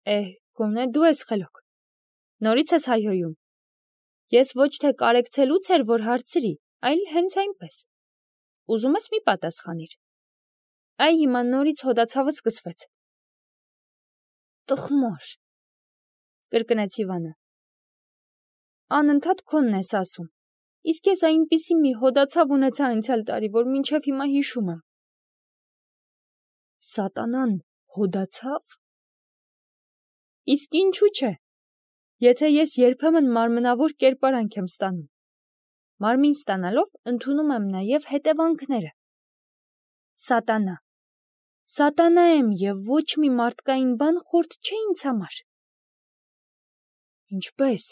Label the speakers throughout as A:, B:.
A: Գոնե դու ես խելոք, նորից ես հայհոյում, ես ոչ թե կարեկցելուց էր, որ հարցրի, այլ հենց այնպես, ուզում ես մի պատասխանիր, հիմա նորից հոդացավը սկսվեց, տխմոր, կրկնեց Իվանը, անընդհատ քոնն ես ասում, իսկ ես այնպիսի մի հոդացավ ունեցա անցյալ տարի, որ մինչև հիմա հիշում եմ, սատանան հոդացավ, իսկ ինչու չէ, եթե ես երբեմն մարմնավոր կերպարանք եմ ստանում, մարմին ստանալով ընդունում եմ նաև հետևանքները, սատանա եմ և ոչ մի մարդկային բան խորտ չէ ինձ համար, ինչպես,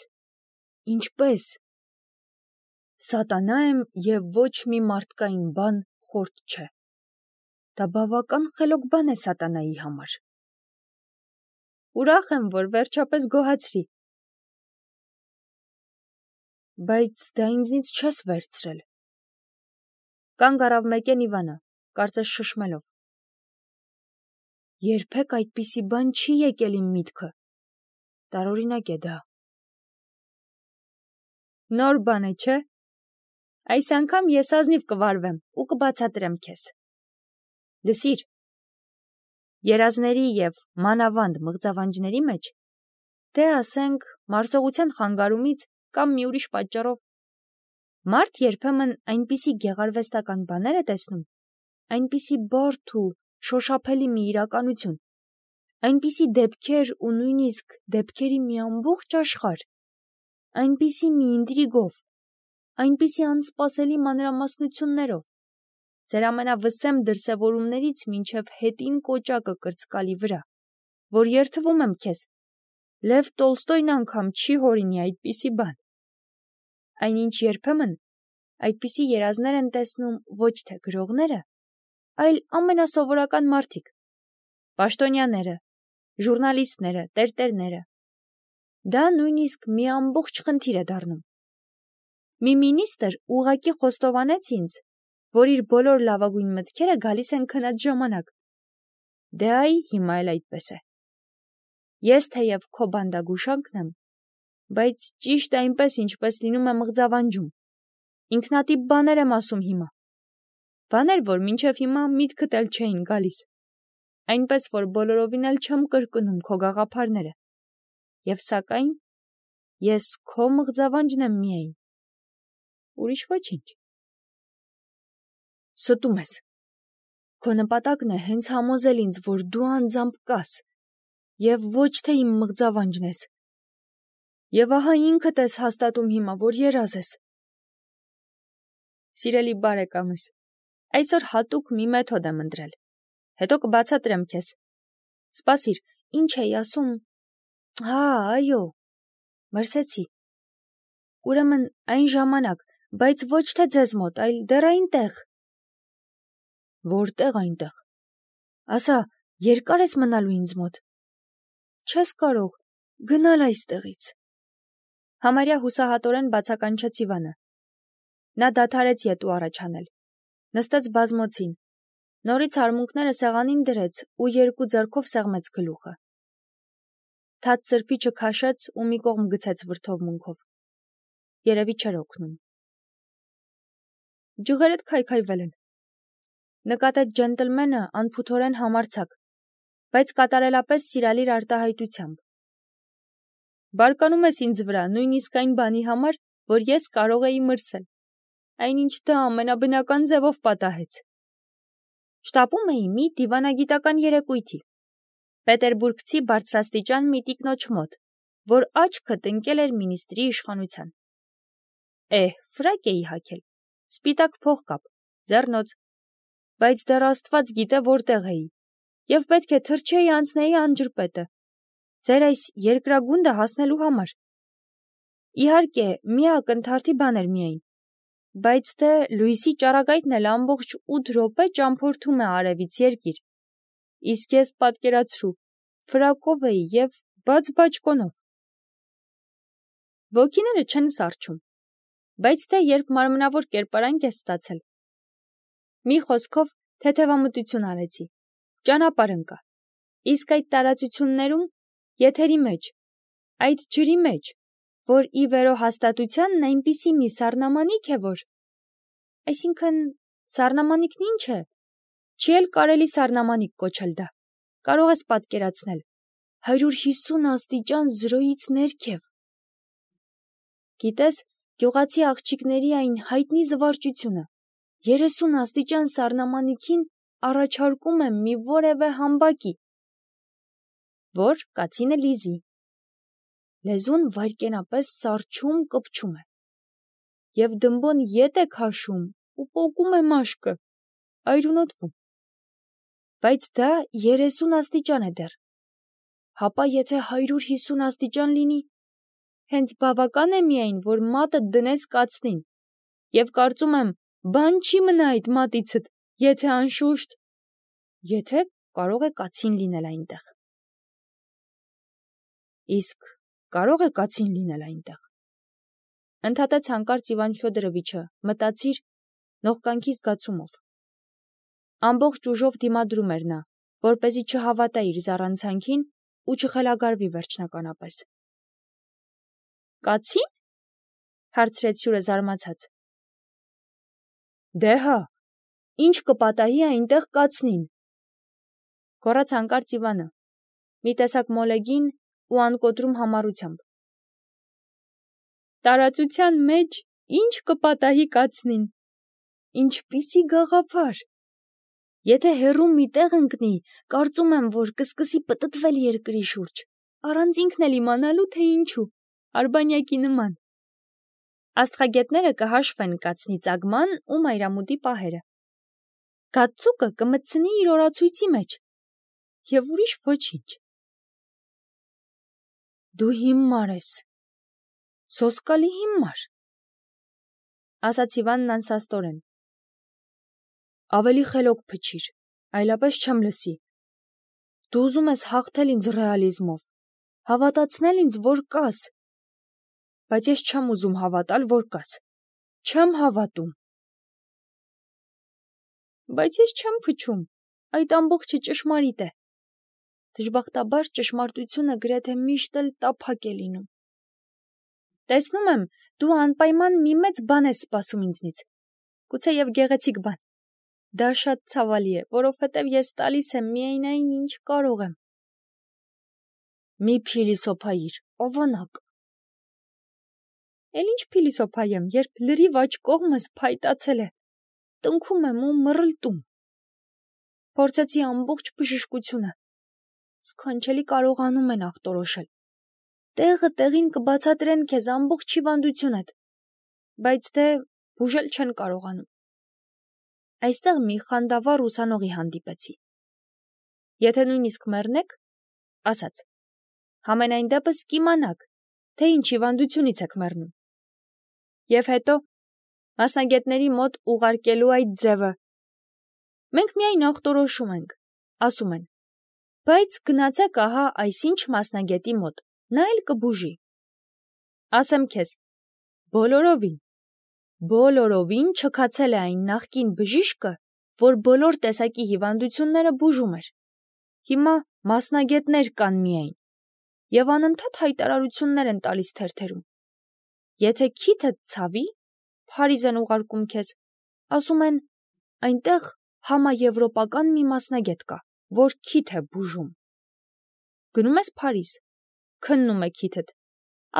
A: սատանա եմ և ոչ մի մարդկային բան խորտ չէ, դա բավական խելոք բան է սատանայի համար, ուրախ եմ, որ վերջապես գոհացրի, բայց դա ինձնից չես վերցրել, կանգ առավ մեկեն Իվանը, կարծես շշմելով, երբեք այդպիսի բան չի եկել իմ միտքը, տարօրինակ է դա, նոր բան է, չէ, այս անգամ ես ազնիվ կվարվեմ ու կբացատրեմ քեզ, լսիր, երազների և մանավանդ մղձավանջների մեջ, թե ասենք մարսողության խանգարումից կամ մի ուրիշ պատճառով, մարդ երբեմն այնպիսի գեղարվեստական բաներ է տեսնում, այնպիսի բարդ ու շոշափելի մի իրականություն, այնպիսի դեպքեր ու նույնիսկ դեպքերի մի ամբողջ աշխարհ, այնպիսի մի ինտրիգով, այնպիսի անսպասելի մանրամասնություններով, ձեր ամենավսեմ դրսևորումներից մինչև հետին կոճակը կրծկալի վրա, որ երդվում եմ քեզ, Լև Տոլստոյն անգամ չի հորինի այդպիսի բան, այնինչ երբեմն այդպիսի երազներ են տեսնում ոչ թե գրողները, այլ ամենասովորական մարդիկ, պաշտոնյաները, ժուրնալիստները, տերտերները, դա նույնիսկ մի ամբողջ խնդիր է դառնում, մի մինիստրը ուղղակի խոստովանեց ինձ, որ իր բոլոր լավագույն մտքերը գալիս են քնած ժամանակ, դե հիմա էլ այդպես է, ես թեև քո բանդագուշակն եմ, բայց ճիշտ այնպես, ինչպես լինում է մղձավանջում, ինքնատիպ բաներ եմ ասում հիմա, բաներ, որ մինչև հիմա միտքդ էլ չէին գալիս, այնպես, որ բոլորովին էլ չեմ կրկնում քո գաղափարները, և սակայն, ես քո մղձավանջն եմ միայն, ուրիշ ոչինչ, ստում ես, քո նպատակն է հենց համոզել ինձ, որ դու անձամբ կաս, և ոչ թե իմ մղձավանջն ես, և ահա ինքդ ես հաստատում հիմա, որ երազ ես, սիրելի բարեկամս, այսօր հատուկ մի մեթոդ եմ ընտրել, հետո կբացատրեմ քեզ, սպասիր, ինչ էի ասում, այո, մրսեցի, ուրեմն այն ժամանակ, բայց ոչ թե ձեզ մոտ, այլ դեռ այնտեղ, որտեղ այնտեղ, ասա, երկար ես մնալու ինձ մոտ, չես կարող գնալ այստեղից, համարյա հուսահատորեն բացականչեց Իվանը, նա դադարեց ետու առաջանել, նստեց բազմոցին, նորից արմունկները սեղանին դրեց ու երկու ձեռքով սեղմեց գլուխը, թաց սրբիչը քաշեց ու մի կողմ գցեց վրդովմունքով, երևի չէր օգնում, ջղերդ քայքայվել են, նկատեց ջենտլմենը անփութորեն համարձակ, բայց կատարելապես սիրալիր արտահայտությամբ, բարկանում ես ինձ վրա նույնիսկ այն բանի համար, որ ես կարող էի մրսել, այնինչ դա ամենաբնական ձևով պատահեց, շտապում էի մի դիվանագիտական երեկույթի, պետերբուրգցի բարձրաստիճան մի տիկնոջ մոտ, որ աչքդ ընկել էր մինիստրի իշխանության, ֆրակ էի հագել, սպիտակ փողկապ, ձեռնոց, բայց դեռ Աստված գիտե որտեղ էի, և պետք է թռչեի անցնեի անջրպետը, ձեր այս երկրագունդը հասնելու համար, իհարկե մի ակնթարթի բան էր միայն, բայց թե լույսի ճառագայթն էլ ամբողջ 8 րոպե ճամփորդում է արևից երկիր, իսկ ես պատկերացրու, ֆրակով էի և բաց բաճկոնով, ոգիները չեն սառչում, բայց թե երբ մարմնավոր կերպարանք ես ստացել, մի խոսքով թեթևամտություն արեցի, ճանապարհ ընկա, իսկ այդ տարածություններում եթերի մեջ, այդ ջրի մեջ, որ ի վերոհաստատությանն այնպիսի մի սառնամանիք է, որ… Այսինքն, սառնամանիքն ինչ է, չի էլ կարելի սառնամանիք կոչել դա, կարող ես պատկերացնել, 150 աստիճան զրոյից ներքև։ Գիտես, գյուղացի աղջիկների այն հայտնի զվարճությունը, 30 աստիճան սառնամանիքին առաջարկում եմ մի որևէ համբակի, որ կացինը լիզի։ Լեզուն վայրկենապես սառչում կպչում է, և դմբոն ետ է քաշում ու պոկում է մաշկը, այրունոտվում։ Բայց դա 30 աստիճան է դեռ, հապա եթե 150 աստիճան լինի, հենց բավական է միայն, որ մատդ դնես կացնին, և կարծում եմ, բան չի մնա այդ մատիցդ, եթե անշուշտ… Եթե կարող է կացին լինել այնտեղ։ Իսկ կարո՞ղ է կացին լինել այնտեղ, ընդհատեց հանկարծ Իվան Ֆյոդորովիչը, մտածիր նողկանքի զգացումով։ Ամբողջ ուժով դիմադրում էր նա, որպեսզի չհավատա իր զառանցանքին ու չխելագարվի վերջնականապես։ Կացի՞ն, հարցրեց հյուրը զարմացած։ Դե հա, ինչ կպատահի այնտեղ կացնին, գոռաց հանկարծ Իվանը, մի տեսակ մոլեգին ու անկոտրում համառությամբ։ Տարածության մեջ ինչ կպատահի կացնին, ինչպիսի գաղափար։ Եթե հեռու մի տեղ ընկնի, կարծում եմ, որ կսկսի պտտվել երկրի շուրջ, առանց ինքն էլ իմանալու, թե ինչու, արբանյակի նման։ Աստղագետները կհաշվեն կացնի ծագման ու մայրամուտի պահերը։ Գացուկը կմտցնի իր օրացույցի մեջ, և ուրիշ ոչինչ։ Դու հիմար ես, սոսկալի հիմար, ասաց Իվանն անսաստորեն։ Ավելի խելոք փչիր, այլապես չեմ լսի։ Դու ուզում ես հաղթել ինձ ռեալիզմով, հավատացնել ինձ, որ կաս, բայց ես չեմ ուզում հավատալ, որ կաս, չեմ հավատում։ Բայց ես չեմ փչում, այդ ամբողջը ճշմարիտ է։ Դժբախտաբար ճշմարտությունը գրեթե միշտ էլ տափակ է լինում։ Տեսնում եմ, դու անպայման մի մեծ բան ես սպասում ինձնից, գուցեև գեղեցիկ բան։ Դա շատ ցավալի է, որովհետև ես տալիս եմ միայն այն, ինչ կարող եմ։ Մի փիլիսոփայիր, ավանակ։ Էլ ինչ փիլիսոփայեմ, երբ լրիվ աջ կողմս փայտացել է, տնքում եմ ու մռլտում։ Փորձեցի ամբողջ բժշկությունը։ Սքանչելի կարողանում են ախտորոշել։ Տեղը տեղին կբացատրեն քեզ ամբողջ հիվանդությունդ, բայց դե բուժել չեն կարողանում։ Այստեղ մի խանդավառ ուսանողի հանդիպեցի։ Եթե նույնիսկ մեռնեք, ասաց, համենայն դեպս կիմանաք, թե ինչ հիվանդությունից եք մեռնում։ Եվ հետո մասնագետների մոտ ուղարկելու այդ ձևը։ Մենք միայն ախտորոշում ենք, ասում են, բայց գնացեք ահա այսինչ մասնագետի մոտ, նա էլ կբուժի։ Ասեմ քեզ, բոլորովին չքացել է այն նախկին բժիշկը, որ բոլոր տեսակի հիվանդությունները բուժում էր։ Հիմա մասնագետներ կան միայն, և անընդհատ հայտարարություններ են տալիս թերթերում։ Եթե քիթդ ցավի, Փարիզ են ուղարկում քեզ, ասում են, այնտեղ համաեվրոպական մի մասնագետ կա, որ քիթ է բուժում։ Գնում ես Փարիզ, քննում է քիթդ,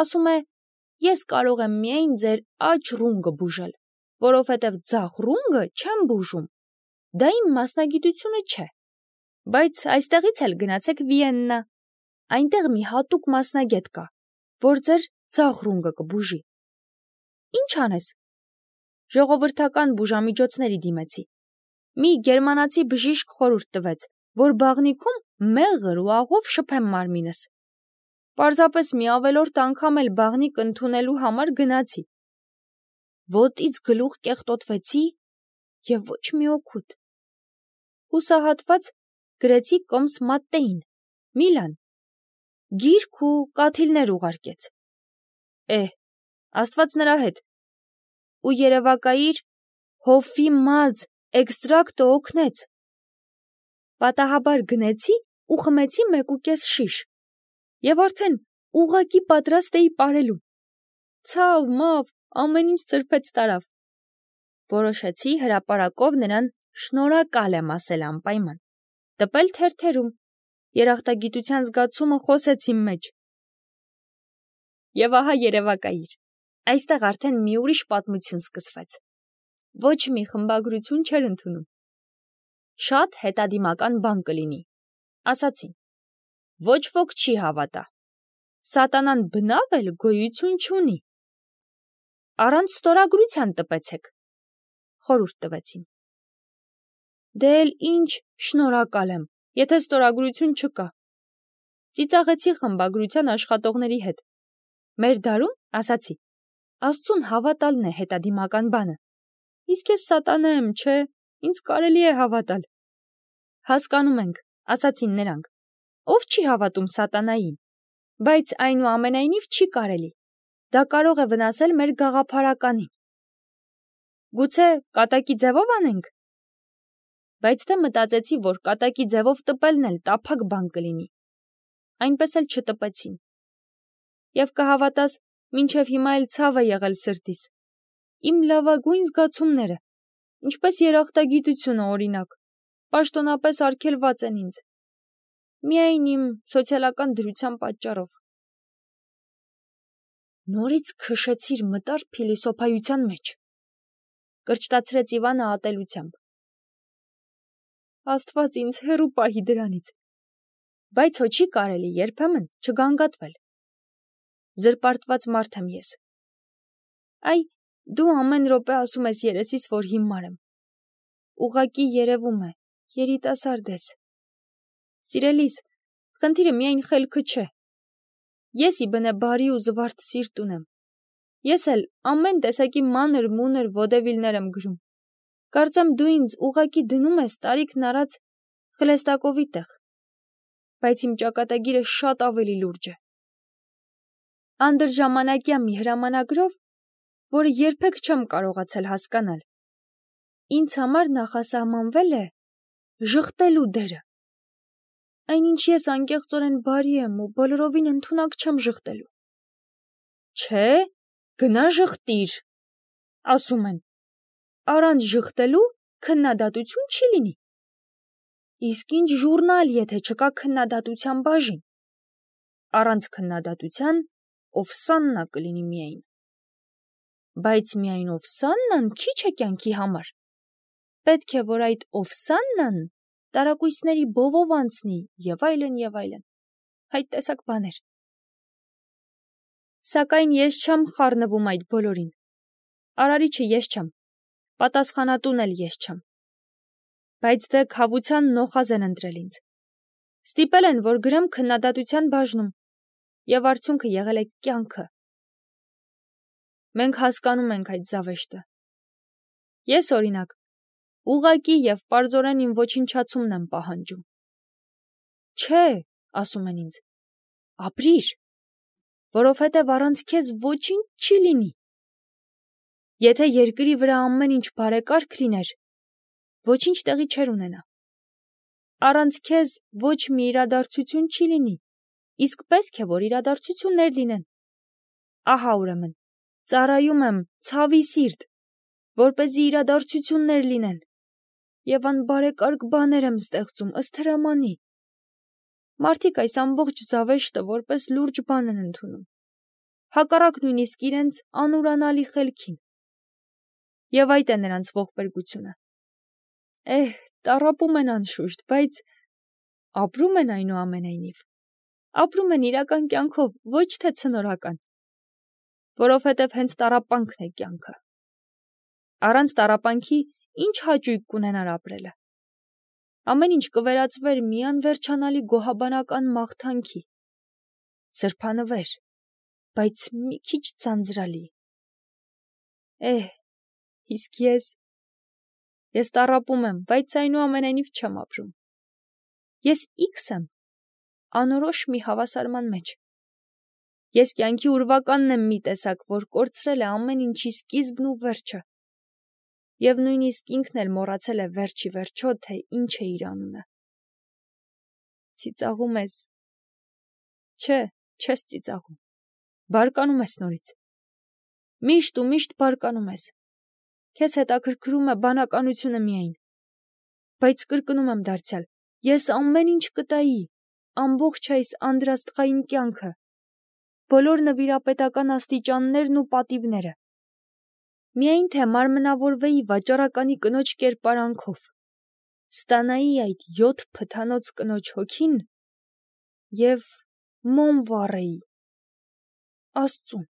A: ասում է, ես կարող եմ միայն ձեր աջ ռունգը բուժել, որովհետև ձախ ռունգը չեմ բուժում, դա իմ մասնագիտությունը չէ, բայց այստեղից էլ գնացեք Վիեննա, այնտեղ մի հատուկ մասնագետ կա, որ ձեր ձախ ռունգը կբուժի։ Ինչ անես։ Ժողովրդական բուժամիջոցների դիմեցի։ Մի գերմանացի բժիշկ խորհուրդ տվեց, որ բաղնիքում մեղր ու աղով շփեմ մարմինս։ Պարզապես մի ավելորդ անգամ էլ բաղնիք ընդունելու համար գնացի։ Ոտից գլուխ կեղտոտվեցի և ոչ մի օգուտ։ Հուսահատված գրեցի կոմս Մատտեին, Միլան, գիրք ու կաթիլներ ուղարկեց։ Աստված նրա հետ։ Ու երևակայիր հովվի մած էքստրակտը օգնեց։ Պատահաբար գնեցի ու խմեցի 1.5 շիշ։ Եվ արդեն ուղղակի պատրաստ էի պարելու։ Ցավ, մավ, ամեն ինչ ծրփեց տարավ։ Որոշեցի հրապարակով նրան շնորհակալ եմ ասել անպայման, տպել թերթերում, երախտագիտության զգացումը խոսեց իմ մեջ։ Եվ ահա երևակայիր, այստեղ արդեն մի ուրիշ պատմություն սկսվեց։ Ոչ մի խմբագրություն չէր ընդունում։ Շատ հետադիմական բան կլինի, ասացին։ Ոչ ոք չի հավատա։ Սատանան բնավ էլ գոյություն չունի։ Առանց ստորագրության տպեցեք, խորհուրդ տվեցին։ Դե էլ ինչ շնորհակալ եմ, եթե ստորագրություն չկա։ Ծիծաղեցի խմբագրության աշխատողների հետ։ Մեր դարում, ասացի, Աստծուն հավատալն է հետադիմական բանը։ Իսկ ես սատանա եմ, չէ, ինձ կարելի է հավատալ։ Հասկանում ենք, ասացին նրանք, ով չի հավատում սատանային, բայց այնուամենայնիվ չի կարելի։ Դա կարող է վնասել մեր գաղափարականին։ Գուցե կատակի ձևով անենք։ Բայց դե մտածեցի, որ կատակի ձևով տպելն էլ տափակ բան կլինի։ Այնպես էլ չտպեցին։ Եվ կհավատաս, մինչև հիմա էլ ցավ է եղել սրտիս։ Իմ լավագույն զգացումները, ինչպես երախտագիտությունը օրինակ, պաշտոնապես արգելված են ինձ։ Միայն իմ սոցիալական դրության պատճառով։ Նորից քշեցիր մտար փիլիսոփայության մեջ, կրճտացրեց Իվանը ատելությամբ։ Աստված ինձ հեռու պահի դրանից, բայց հո չի կարելի երբեմն չգանգատվել։ Զրպարտված մարդ եմ ես։ Այ, դու ամեն րոպե ասում ես երեսիս, որ հիմար եմ։ Ուղղակի երևում է, երիտասարդ ես։ Սիրելիս, խնդիրը միայն խելքը չէ։ Ես ի բնե բարի ու զվարթ սիրտ ունեմ։ Ես էլ ամեն տեսակի մանր-մունր ոդևիլներ եմ գրում։ Կարծեմ դու ինձ ուղղակի դնում ես տարիքն առած Խլեստակովի տեղ, բայց իմ ճակատագիրը շատ ավելի լուրջ է։ Անդրժամանակյա մի հրամանագրով, որը երբեք չեմ կարողացել հասկանալ, ինձ համար նախասահմանվել է ժխտելու դերը։ Այնինչ ես անկեղծորեն բարի եմ ու բոլորովին ընդունակ չեմ ժխտելու։ Չէ, գնա ժխտիր, ասում են, առանց ժխտելու քննադատություն չի լինի։ Իսկ ինչ ժուրնալ, եթե չկա քննադատության բաժին։ Առանց քննադատության Օվսաննա կլինի միայն։ Բայց միայն Օվսաննան քիչ է կյանքի համար։ Պետք է, որ այդ Օվսաննան տարակույսների բովով անցնի եւ այլն եւ այլն։ Այդ տեսակ բաներ։ Սակայն ես չեմ խառնվում այդ բոլորին։ Արարիչը ես չեմ, պատասխանատուն էլ ես չեմ։ Բայց դե քավության նոխազ են ընտրել ինձ։ Ստիպել են, որ գրեմ քննադատության բաժնում, եւ արդյունքը եղել է կյանքը։ Մենք հասկանում ենք այդ զավեշտը։ Ես, օրինակ, ուղղակի եւ պարզորեն իմ ոչնչացումն եմ պահանջում։ Չէ, ասում են ինձ, ապրիր, որովհետև առանց քեզ ոչինչ չի լինի։ Եթե երկրի վրա ամեն ինչ բարեկարգ լիներ, ոչինչ տեղի չէր ունենա։ Առանց քեզ ոչ մի իրադարձություն չի լինի, իսկ պետք է, որ իրադարձություններ լինեն։ Ահա ուրեմն, ծառայում եմ ցավի սիրտ, որպեսզի իրադարձություններ լինեն, եւ անբարեկարգ բաներ եմ ստեղծում ըստ հրամանի։ Մարդիկ այս ամբողջ զավեշտը որպես լուրջ բան են ընդունում, հակառակ նույնիսկ իրենց անուրանալի խելքին։ Եվ այդ է նրանց ողբերգությունը։ Տառապում են անշուշտ, բայց ապրում են այնուամենայնիվ։ Ապրում են իրական կյանքով, ոչ թե ցնորական, որովհետև հենց տառապանքն է կյանքը։ Առանց տառապանքի ինչ հաճույք կունենար ապրելը։ Ամեն ինչ կվերածվեր մի անվերջանալի գոհաբանական մաղթանքի, սրբանվեր, բայց մի քիչ ձանձրալի։ Իսկ ես տառապում եմ, բայց այնուամենայնիվ չեմ ապրում։ Ես X եմ, անորոշ մի հավասարման մեջ։ Ես կյանքի ուրվականն եմ մի տեսակ, որ կորցրել է ամեն ինչի սկիզբն ու վերջը։ Եվ նույնիսկ ինքն էլ մոռացել է վերջի վերջո, թե ինչ է իր անունը։ Ծիծաղում ես, Չէ, չես ծիծաղում։ Բարկանում ես նորից։ Միշտ ու միշտ բարկանում ես։ Քեզ հետաքրքրում է բանականությունը միայն։ Բայց կրկնում եմ դարձյալ, ես ամեն ինչ կտայի, ամբողջ այս անդրաստղային կյանքը, բոլոր նվիրապետական աստիճաններն ու պատիվները։ Միայն թե մարմնավորվեի վաճառականի կնոջ կերպարանքով, ստանայի այդ 7 փթանոց կնոջ հոգին և մոմ վառեի Աստծուն։